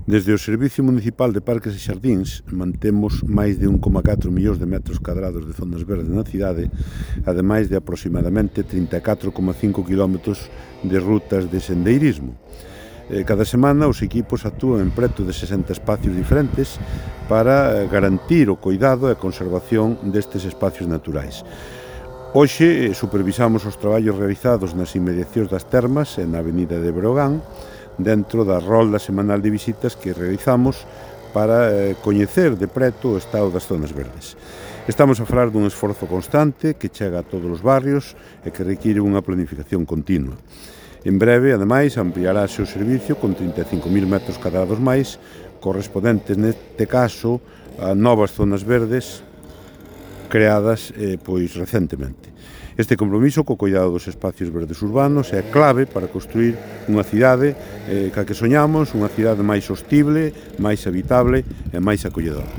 Desde o Servicio Municipal de Parques e Xardíns mantemos máis de 1,4 millóns de metros cadrados de zonas verdes na cidade, ademais de aproximadamente 34,5 km de rutas de sendeirismo. Cada semana os equipos actúan en preto de 60 espacios diferentes para garantir o cuidado e a conservación destes espacios naturais. Hoxe supervisamos os traballos realizados nas inmediacións das termas e na avenida de Breogán, dentro da rolda semanal de visitas que realizamos para coñecer de preto o estado das zonas verdes. Estamos a falar dun esforzo constante que chega a todos os barrios e que require unha planificación continua. En breve, ademais, ampliarase o servicio con 35.000 metros cadrados máis, correspondentes neste caso a novas zonas verdes creadas recentemente. Este compromiso co cuidado dos espacios verdes urbanos é clave para construir unha cidade ca que soñamos, unha cidade máis sostible, máis habitable e máis acolledora.